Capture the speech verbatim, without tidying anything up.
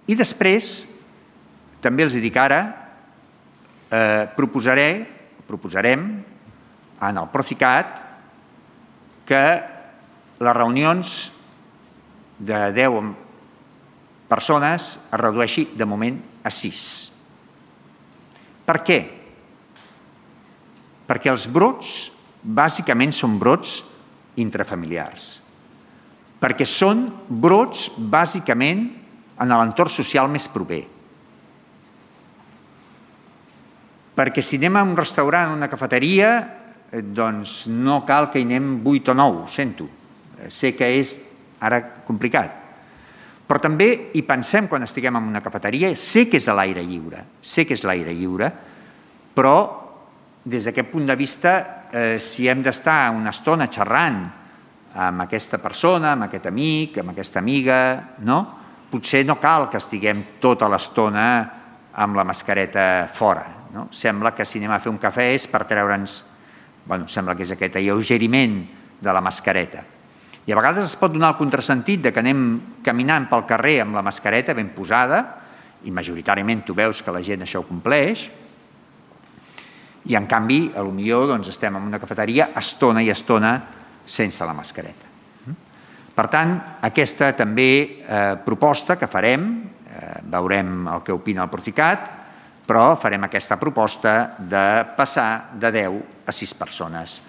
I després, també els dic ara, eh, proposaré, proposarem en el Procicat que les reunions de deu persones es redueixi de moment a sis. Per què? Perquè els brots bàsicament són brots intrafamiliars. Perquè són brots bàsicament en l'entorn social més proper. Perquè si anem a un restaurant o una cafeteria, doncs no cal que hi anem vuit o nou, ho sento. Sé que és ara complicat. Però també hi pensem quan estiguem en una cafeteria, sé que és a l'aire lliure, sé que és l'aire lliure, però des d'aquest punt de vista, eh, si hem d'estar una estona xerrant amb aquesta persona, amb aquest amic, amb aquesta amiga, no? Potser no cal que estiguem tota l'estona amb la mascareta fora. No? Sembla que si anem a fer un cafè és per treure'ns, bueno, sembla que és aquest alleugeriment de la mascareta. I a vegades es pot donar el contrasentit de que anem caminant pel carrer amb la mascareta ben posada, i majoritàriament tu veus que la gent això ho compleix, i en canvi, potser doncs, estem en una cafeteria estona i estona sense la mascareta. Per tant, aquesta també eh, proposta que farem, eh, veurem el que opina el Procicat, però farem aquesta proposta de passar de deu a sis persones